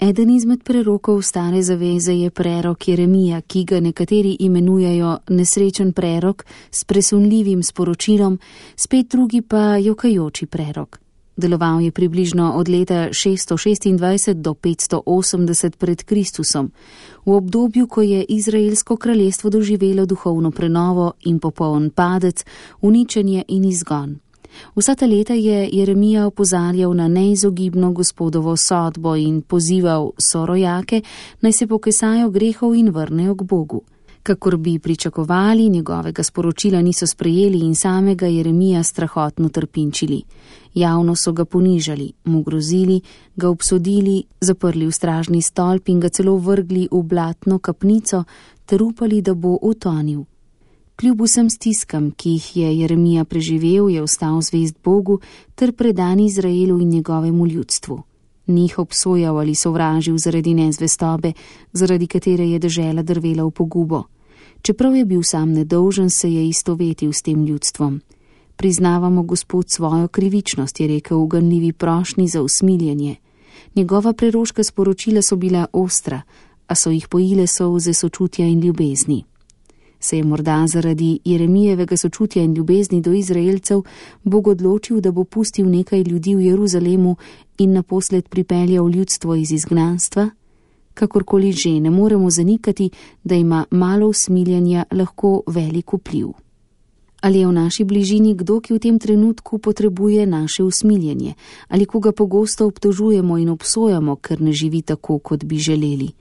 Eden izmed prerokov stare zaveze je prerok Jeremija, ki ga nekateri imenujejo nesrečen prerok s presunljivim sporočilom, spet drugi pa jokajoči prerok. Deloval je približno od leta 626 do 580 pred Kristusom, v obdobju, ko je Izraelsko kraljestvo doživelo duhovno prenovo in popoln padec, uničenje in izgon. Vsa ta leta je Jeremija opozarjal na neizogibno Gospodovo sodbo in pozival sorojake, naj se pokesajo grehov in vrnejo k Bogu. Kakor bi pričakovali, njegovega sporočila niso sprejeli in samega Jeremija strahotno trpinčili. Javno so ga ponižali, mu grozili, ga obsodili, zaprli v stražni stolp in ga celo vrgli v blatno kapnico ter upali, da bo utonil. Kljub vsem stiskam, ki jih je Jeremija preživel, je ostal zvest Bogu ter predan Izraelu in njegovemu ljudstvu. Ni jih obsojal ali sovražil zaradi nezvestobe, zaradi katere je dežela drvela v pogubo. Čeprav je bil sam nedolžen, se je istovetil s tem ljudstvom. Priznavamo Gospod svojo krivičnost, je rekel v ganljivi prošnji za usmiljenje. Njegova preroška sporočila so bila ostra, a so jih pojile solze sočutja in ljubezni. Se je morda zaradi Jeremijevega sočutja in ljubezni do Izraelcev Bog odločil, da bo pustil nekaj ljudi v Jeruzalemu in naposled pripeljal ljudstvo iz izgnanstva? Kakorkoli že, ne moremo zanikati, da ima malo usmiljenja lahko velik vpliv. Ali je v naši bližini kdo, ki v tem trenutku potrebuje naše usmiljenje, ali koga pogosto obtožujemo in obsojamo, ker ne živi tako, kot bi želeli?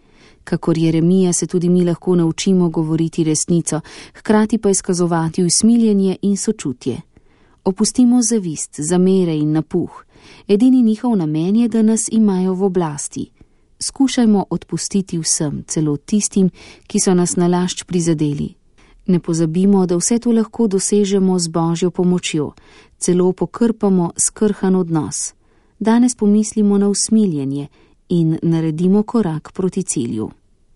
Kakor Jeremija se tudi mi lahko naučimo govoriti resnico, hkrati pa izkazovati usmiljenje in sočutje. Opustimo zavist, zamere in napuh. Edini njihov namen je, da nas imajo v oblasti. Skušajmo odpustiti vsem, celo tistim, ki so nas nalašč prizadeli. Ne pozabimo, da vse to lahko dosežemo z Božjo pomočjo, celo pokrpamo skrhan odnos. Danes pomislimo na usmiljenje in naredimo korak proti cilju.